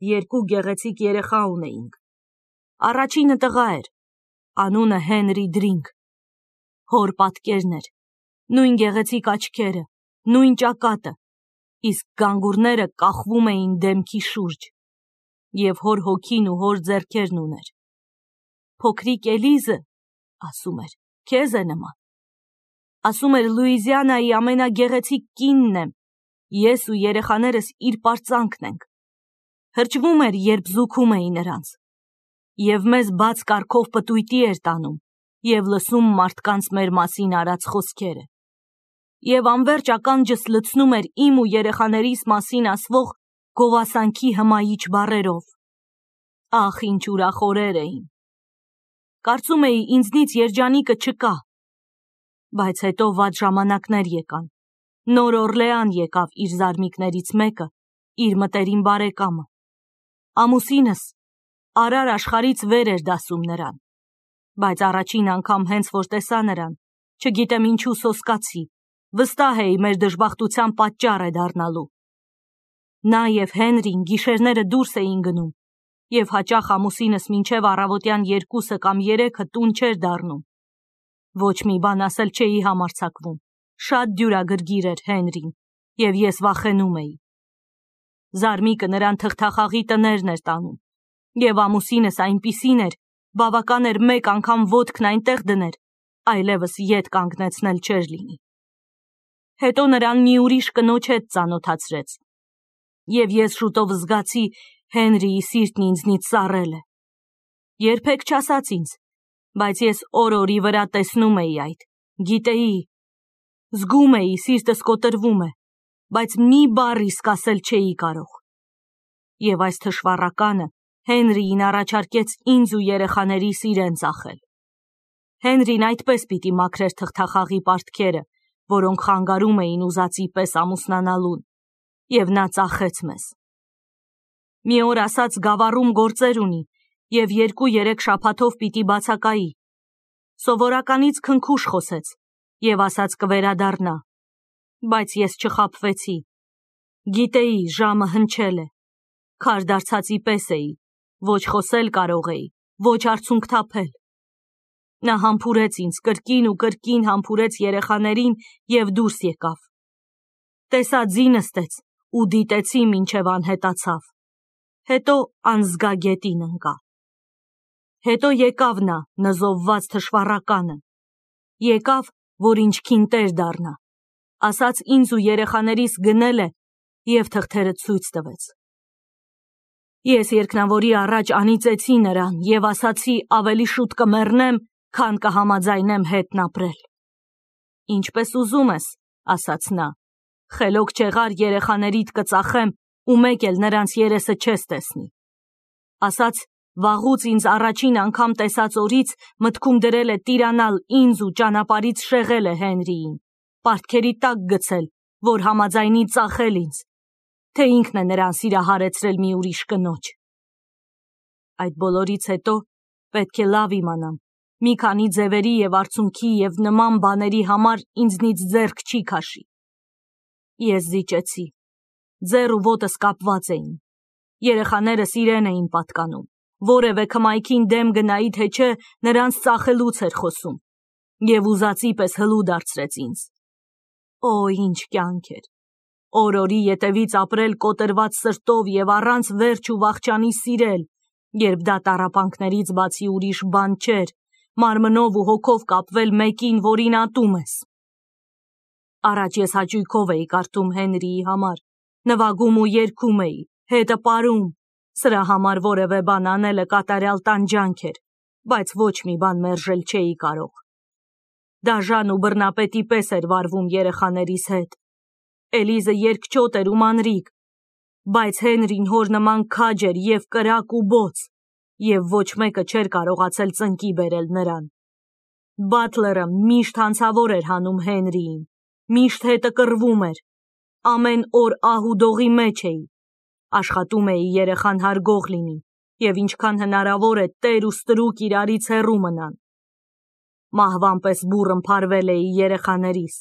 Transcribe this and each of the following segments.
երկու գեղեցիկ երեխա ունեինք։ Առաջինը տղա էր, անունը Հենրի Դրինք։ Հոր պատկերն էր, նույն գեղեցիկ աչքերը, նույն ճակատը, իսկ գանգուրները կախվում էին դեմքի շուրջ, և հոր հոգին ու հոր ձեռքերն ուներ։ Փոքրիկ Էլիզը, ասում էր, քեզ է նման։ Ասում էր Լուիզիանայի ամենագեղեցիկ կինն եմ, ես ու երեխաներս իր պարծանքն ենք։ Հրճվում էր, երբ զուգում էի նրանց, և մեզ բաց կարգով պտույտի էր տանում, և լսում մարդկանց մեր մասին արած խոսքերը, և անվերջ ականջս լցնում էր իմ ու երեխաներիս մասին ասվող գովասանքի հմայիչ բառերով։ Ախ, ինչ ուրախ օրեր էին։ Կարծում էի ինձնից երջանիկը չկա, բայց հետո վատ ժամանակներ եկան։ Նոր Օրլեան եկավ իր զարմիկներից մեկը, իր մտերիմ բարեկամը։ Ամուսինս արար աշխարհից վեր էր դասում նրան, բայց առաջին անգամ հենց որ տեսա նրան, չգիտեմ ինչու սոսկացի, վստահ էի մեր դժբախտության պատճառ է դառնալու։ Նա և Հենրին գիշերները դուրս էին գնում, և հաճախ ամուսինս մինչև առավոտյան 2 կամ 3 տուն չէր դառնում։ Ոչ մի բան ասել չէի համարձակվում, շատ դյուրագրգիռ էր Հենրին, և ես վախենում էի։ Զարմիկը նրան թղթախաղի տներն էր տանում, և ամուսինս այնպիսին էր, բավական էր մեկ անգամ ոտքն այնտեղ դներ, այլևս ետ կանգնեցնել չէր լինի։ Հետո նրան մի ուրիշ կնոջ հետ ծանոթացրեց, և ես շուտով զգացի Հենրիի սիրտն ինձնից սառել է։ Երբեք չասաց ինձ, բայց ես օր-օրի վրա տեսնում էի այդ, գիտեի, զգում էի, սիրտս կոտրվում է, բայց մի բառ իսկ ասել չէի կարող։ Եվ այս թշվառականը Հենրիին առաջարկեց ինձ ու երեխաներիս իրեն ծախել։ Հենրին այդպես պիտի մաքրեր թղթախաղի պարտքերը, որոնք խանգարում էին ուզածի պես ամուսնանալուն, և նա ծախեց մեզ։ Մի օր ասաց գավառում գործեր ունի, և 2-3 շաբաթով պիտի բացակայի։ Սովորականից քնքուշ խոսեց, և ասաց կվերադառնա, բայց ես չխաբվեցի։ Գիտեի, ժամը հնչել է, քար դարձածի պես էի, ոչ խոսել կարող էի, ոչ արցունք թափել։ Նա համբուրեց ինձ, կրկին ու կրկին համբուրեց երեխաներին և դուրս եկավ։ Տեսա ձի նստեց ու դիտեցի մինչև անհետացավ, հետո անզգագետին ընկա։ Հետո եկավ նա, նզովված թշվառականը, եկավ, որ ինչքին տեր դառնա, ասաց ինձ ու երեխաներիս գնել է և թղթերը ցույց տվեց։ Ես երկնավորի առաջ անիծեցի նրան և ասացի ավելի շուտ կմեռնեմ, քան կհամաձայնեմ հետն ապրել։ Ինչպես ուզում ես, ասաց նա, խելոք չեղար երեխաներիդ կծախեմ ու մեկ էլ նրանց երեսը չես տեսնի։ Ասաց վաղուց ինձ առաջին անգամ տեսած օրից մտքում դրել է տիրանալ ինձ ու ճանապարհից շեղել է Հենրիին, պարտքերի տակ գցել, որ համաձայնի ծախել ինձ, թե ինքն է նրան սիրահարեցրել մի ուրիշ կնոջ։ Այդ բոլորից հետո պետք է լավ իմանամ, մի քանի ձևերի և արցունքի և նման բաների համար ինձնից ձեռք չի քաշի։ Ես զիջեցի, ձեռ ու ոտս կապված էին, երեխաներս իրեն էին պատկանում, որևէ քմայքին դեմ գնայի թե չէ նրանց ծախելուց էր խոսում, և ուզածի պես հլու դարձրեց ինձ։ Օ, ինչ կյանք էր, օր-օրի ետևից ապրել կոտրված սրտով և առանց վերջ ու վախճանի սիրել, երբ դա տառապանքներից բացի ուրիշ բան չէր, մարմնով ու հոգով կապվել մեկին, որին ատում ես։ Առաջ ես հաճույքով էի կարդում Հենրիի համար, նվագում ու երգում էի, հետը պարում, սրա համար որևէ բան անելը կատարյալ տանջանք էր, բայց ոչ մի բան մերժել չէի կարող։ Դաժան ու բռնապետի պես էր վարվում երեխաներիս հետ։ Էլիզը երկչոտ էր ու մանրիկ, բայց Հենրին հոր նման քաջ էր և կրակ ու բոց, և ոչ մեկը չէր կարողացել ծնկի բերել նրան։ Բատլերը միշտ հանցավոր էր հանում Հենրիին, միշտ հետը կռվում էր, ամեն օր ահ ու դողի մեջ էի, աշխատում էի երեխան հարգող լինի և ինչքան հնարավոր է տեր ու ստրուկ իրարից հեռու մնան։ Մահվան պես բուռն փարվել էի երեխաներիս,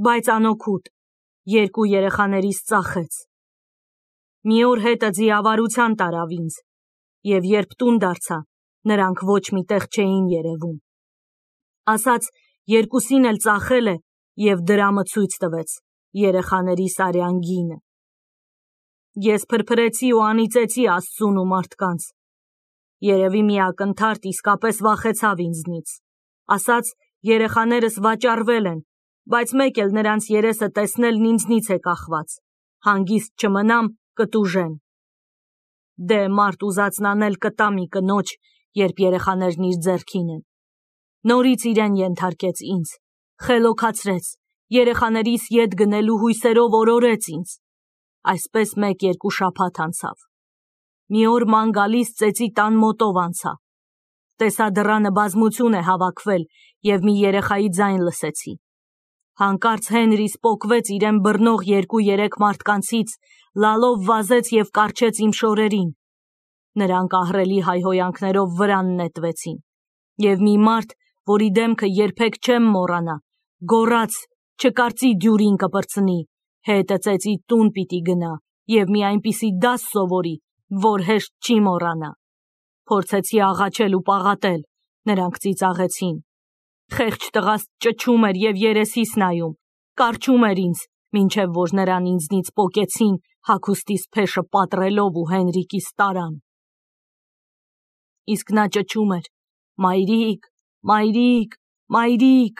բայց անօգուտ, երկու երեխաներիս ծախեց։ Մի օր հետը ձիավարության տարավ ինձ, և երբ տուն դարձա, նրանք ոչ մի տեղ չէին երևում։ Ասաց, երկուսին էլ ծախել է և դրամը ցույց տվեց, երեխաների սարյան գինը։ Ես փրփրեցի ու անիծեցի Աստծուն ու մարդկանց։ Երևի մի ակնթարթ իսկապես վախեցավ ինձնից։ Ասաց, երեխաներս վաճառվել են, բայց մեկ էլ նրանց երեսը տեսնելն ինձնից է կախված, հանգիստ չմնամ, կտուժեն։ Դե մարդ ուզածն անել կտա մի կնոջ, երբ երեխաներն իր ձեռքին են։ Նորից իրեն ենթարկեց ինձ, խելոքացրեց, երեխաներիս ետ գնելու հույսերով օրորեց ինձ։ Այսպես 1-2 շաբաթ անցավ։ Մի օր ման գալիս ծեծի տան մոտով անցա։ Տեսա դռանը բազմություն է հավաքվել և մի երեխայի ձայն լսեցի։ Հանկարծ Հենրիս պոկվեց իրեն բռնող 2-3 մարդկանցից, լալով վազեց և կառչեց իմ շորերին։ Նրանք ահռելի հայհոյանքներով վրան նետվեցին, և մի մարդ, որի դեմքը երբեք չեմ մոռանա, գոռաց, չկարծի դյուրին կպրծնի, հետը ծեծի տուն պիտի գնա և մի այնպիսի դաս սովորի, որ հեշտ չի մոռանա։ Փորձեցի աղաչել ու պաղատել, նրանք ծիծաղեցին։ Խեղճ տղաս ճչում էր և երեսիս նայում, կառչում էր ինձ, մինչև որ նրան ինձնից պոկեցին, հագուստիս փեշը պատռելով ու Հենրիկիս տարան։ Իսկ նա ճչում էր. «Մայրիկ, մայրիկ, մայրիկ»։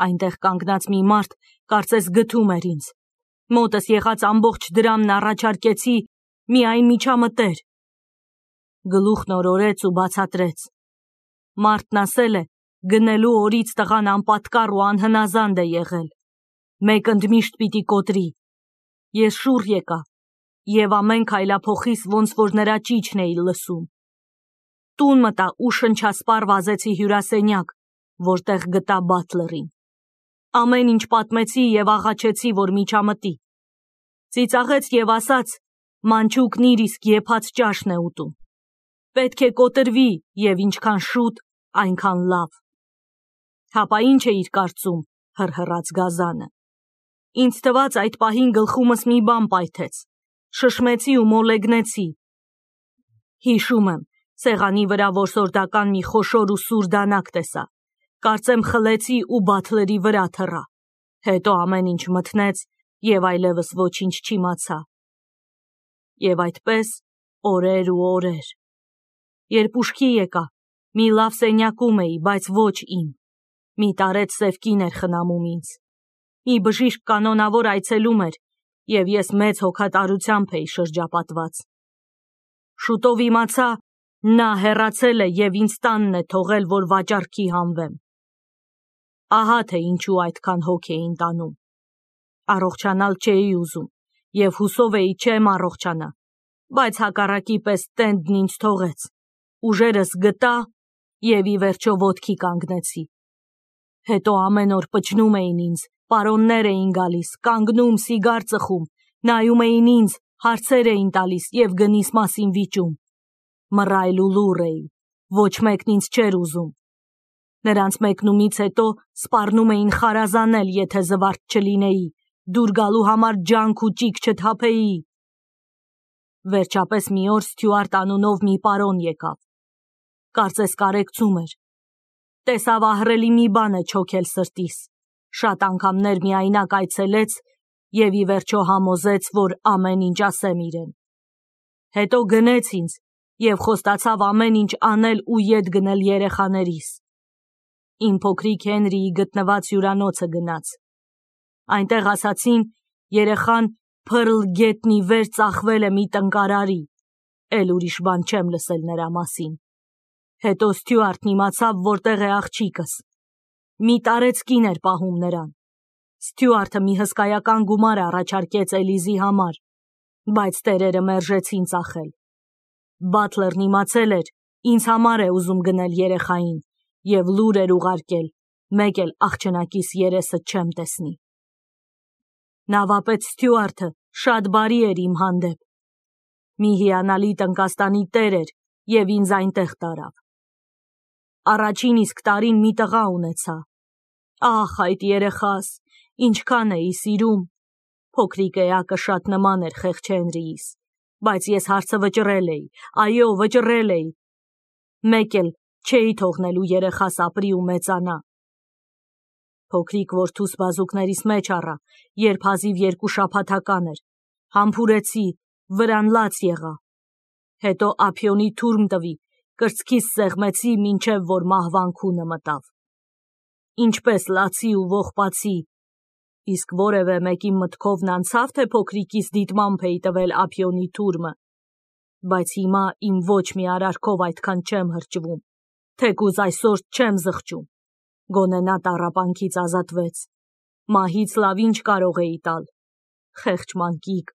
Այնտեղ կանգնած մի մարդ կարծես գթում էր ինձ։ Մոտս եղած ամբողջ դրամն առաջարկեցի, միայն միջամտեր։ Գլուխն օրորեց ու բացատրեց. Մարդն ասել է, գնելու օրից տղան անպատկառ ու անհնազանդ է եղել, մեկ ընդմիշտ պիտի կոտրի։ Ես շուռ եկա և ամեն քայլափոխիս ոնց որ նրա ճիչն էի լսում։ Տուն մտա ու շնչասպառ վազեցի հյուրասենյակ, որտեղ գտա բաթլերին։ Ամեն ինչ պատմեցի և աղաչեցի, որ միջամտի։ Ծիծաղեց և ասաց, մանչուկն իր իսկ եփած ճաշն է ուտում։ Պետք է կոտրվի և ինչքան շուտ, այնքան լավ։ Հապա ինչ էիր կարծում, հռհռաց գազանը։ Ինձ թվաց այդ պահին գլխումս մի բան պայթեց, շշմեցի ու մոլեգնեցի։ Հիշում եմ, սեղանի վրա որսորդական մի խոշոր ու սուր դանակ տեսա, կարծեմ խլեցի ու բաթլերի վրա թռա, հետո ամեն ինչ մթնեց և այլևս ոչինչ չիմացա։ Եվ այդպես օրեր ու օրեր։ Երբ ուշքի եկա, մի լավ սենյակում էի, բայց ոչ իմ։ Մի տարեց սև կին էր խնամում ինձ։ Մի բժիշկ կանոնավոր այցելում էր, և ես մեծ հոգատարությամբ էի շրջապատված։ Շուտով իմացա, նա հեռացել է և ինձ տանն է թողել, որ վաճառքի հանվեմ։ Ահա թե ինչու այդքան հոգ էին տանում։ Առողջանալ չէի ուզում և հուսով էի չեմ առողջանա, բայց հակառակի պես տենդն ինձ թողեց, ուժերս գտա և ի վերջո ոտքի կանգնեցի։ Հետո ամեն օր պչնում էին ինձ, պարոններ էին գալիս, կանգնում, սիգար ծխում, նայում էին ինձ, հարցեր էին տալիս և գնիս մասին վիճում։ Մռայլ ու լուռ էի, ոչ մեկն ինձ չէր ուզում։ Նրանց մեկնումից հետո սպառնում էին խարազանել, եթե զվարթ չլինեի, դուր գալու համար ջանք ու ճիգ չթափեի։ Վերջապես մի օր Ստյուարտ անունով մի պարոն եկավ։ Կարծես կարեկցում էր։ Տեսավ ահռելի մի բան է չոքել սրտիս, շատ անգամներ միայնակ այցելեց և ի վերջո համոզեց, որ ամեն ինչ ասեմ իրեն։ Հետո գնեց ինձ և խոստացավ ամեն ինչ անել ու ետ գնել երեխաներիս։ Իմ փոքրիկ Հենրիի գտնված հյուրանոցը գնաց։ Այնտեղ ասացին, երեխան Փըրլ գետնի վեր ծախվել է մի տնկարարի, էլ ուրիշ բան չեմ լսել նրա մասին։ Հետո Ստյուարտն իմացավ, որտեղ է աղջիկս։ Մի տարեց կին էր պահում նրան։ Ստյուարտը մի հսկայական գումար առաջարկեց Էլիզի համար, բայց տերերը մերժեցին ծախել։ Բաթլերն իմացել էր, ինձ համար է ուզում գնել երեխային և լուր էր ուղարկել, մեկ էլ աղջնակիս երեսը չեմ տեսնի։ Նավապետ Ստյուարտը շատ բարի էր իմ հանդեպ։ Մի հիանալի տնկաստանի տեր էր և ինձ այնտեղ տարավ։ Առաջին իսկ տարին մի տղա ունեցա։ Ահ, այդ երեխաս, ինչքան էի սիրում։ Փոքրիկ էակը շատ նման էր խեղճ Հենրիիս, բայց ես հարցը վճռել էի, այո, վճռել էի։ Մեկ էլ չէի թողնելու երեխաս ապրի ու մեծանա։ Փոքրիկ որդուս բազուկներիս մեջ առա, երբ հազիվ 2 շաբաթական էր, համբուրեցի, վրան լաց եղա։ Հետո ափիոնի թուրմ տվի, կրծքիս սեղմեցի, մինչև որ մահվան քունը մտավ։ Ինչպես լացի ու ողբացի, իսկ որևէ մեկի մտքովն անցավ, թե փոքրիկիս դիտմամբ էի տվել ափիոնի թուրմը, բայց հիմա իմ ոչ մի արարքով այդքան չեմ հրճվում, թեկուզ այսօր չեմ զղջում, գոնե նա տառապանքից ազատվեց, մահից լավ ինչ կարող էի տալ, խեղճ մանկիկ։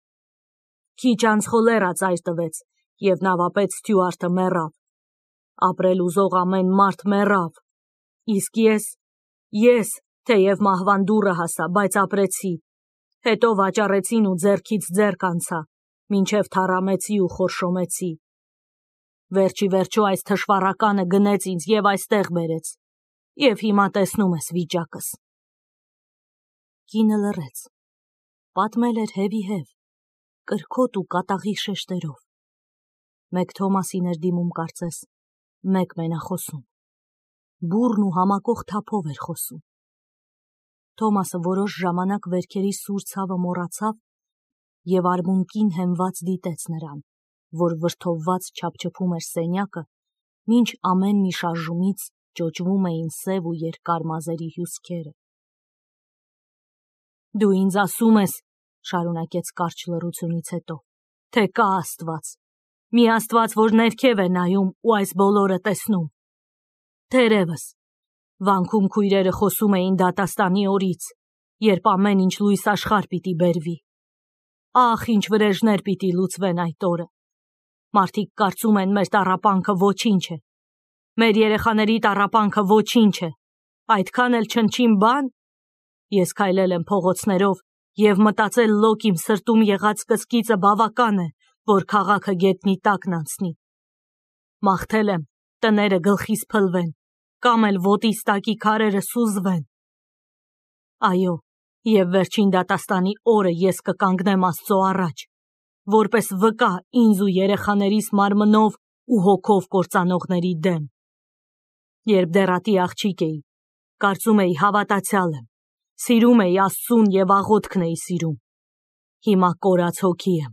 Քիչ անց խոլերա ծայր տվեց, և նավապետ Ստյուարտը մեռավ, ապրել ուզող ամեն մարդ մեռավ, իսկ ես, թեև մահվան դուռը հասա, բայց ապրեցի, հետո վաճառեցին ու ձեռքից ձեռք անցա, մինչև թառամեցի ու խորշոմեցի։ Վերջի վերջո այս թշվառականը գնեց ինձ և այստեղ բերեց, և հիմա տեսնում ես վիճակս։ Կինը լռեց, պատմել էր հևի-հև, կրքոտ ու կատաղի շեշտերով։ Մեկ Թոմասին էր դիմում կարծես, մեկ մենախոսում, բուռն ու համակող թափով էր խոսում։ Թոմասը որոշ ժամանակ վերքերի սուր ցավը մոռացավ և արմունկին հենված դիտեց նրան, որ վրդովված չափչփում էր սենյակը, մինչ ամեն մի շարժումից ճոճվում էին սև ու երկար մազերի հյուսքերը։ Դու ինձ ասում ես, շարունակեց կարճ լռությունից հետո, թե կա Աստված, մի Աստված, որ ներքև է նայում ու այս բոլորը տեսնում։ Թերևս, վանքում քույրերը խոսում էին դատաստանի օրից, երբ ամեն ինչ լույս աշխարհ պիտի բերվի։ Ախ, ինչ վրեժներ պիտի լուծվեն այդ օրը։ Մարդիկ կարծում են մեր տառապանքը ոչինչ է, մեր երեխաների տառապանքը ոչինչ է, այդքան էլ չնչին բան։ Ես քայլել եմ փողոցներով և մտածել լոկ իմ սրտում եղած կսկիծը բավական է, որ քաղաքը գետնի տակն անցնի։ Մաղթել եմ տները գլխիս փլվեն, կամ էլ ոտիս տակի քարերը սուզվեն։ Այո, և վերջին դատաստանի օրը ես կկանգնեմ Աստծո առաջ, որպես վկա ինձ ու երեխաներիս մարմնով ու հոգով կործանողների դեմ։ Երբ դեռատի աղջիկ էի, կարծում էի հավատացյալ եմ, սիրում էի Աստծուն և աղոթքն էի սիրում։ Հիմա կորած հոգի եմ,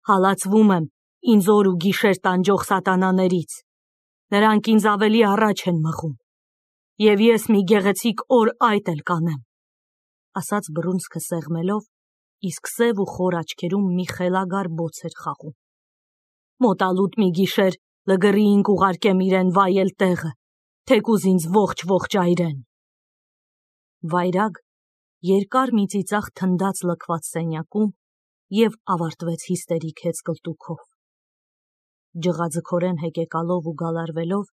հալածվում եմ ինձ օր ու գիշեր տանջող սատանաներից։ Նրանք ինձ ավելի առաջ են մղում, և ես մի գեղեցիկ օր այդ էլ կանեմ, ասաց բռունցքը սեղմելով, իսկ սև ու խոր աչքերում մի խելագար բոց էր խաղում։ Մոտալուտ մի գիշեր լգըրիինք ուղարկեմ իրեն վայել տեղը, թեկուզ ինձ ողջ այրեն։ Վայրագ երկար մի ծիծաղ թնդաց լքված սենյակում և ավարտվեց հիստերիկ հեծկլտուքով։ Ջղաձգորեն հեկեկալով ու գալարվելով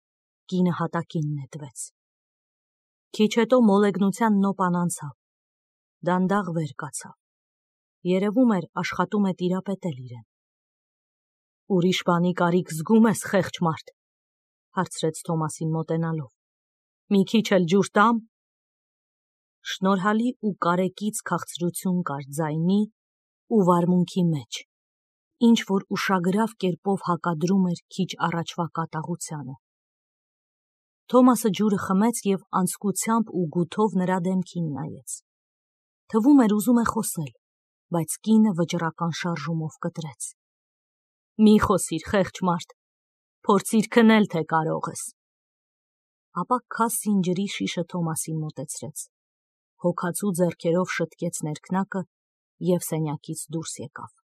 կինը հատակին նետվեց։ Քիչ հետո մոլեգնության նոպան անցավ, դանդաղ վեր կացավ, երևում էր աշխատում է տիրապետել իրեն։ Ուրիշ բանի կարիք զգում ես, խեղճ մարդ, հարցրեց Թոմասին մոտենալով, մի քիչ էլ ջուր տամ։ Շնորհալի ու կարեկից քաղցրություն կար ձայնի ու վարմունքի մեջ, ինչ որ ուշագրավ կերպով հակադրում էր քիչ առաջվա կատաղությանը։ Թոմասը ջուրը խմեց և անձկությամբ ու գութով նրա դեմքին նայեց։ Թվում էր ուզում է խոսել, բայց կինը վճռական շարժումով կտրեց։ Մի խոսիր, խեղճ մարդ, փորձիր քնել, թե կարող ես։ Ապա քասին ջրի շիշը Թոմասին մոտեցրեց, հոգացու ձեռքերով շտկեց ներքնակը և սենյակից դուրս եկավ։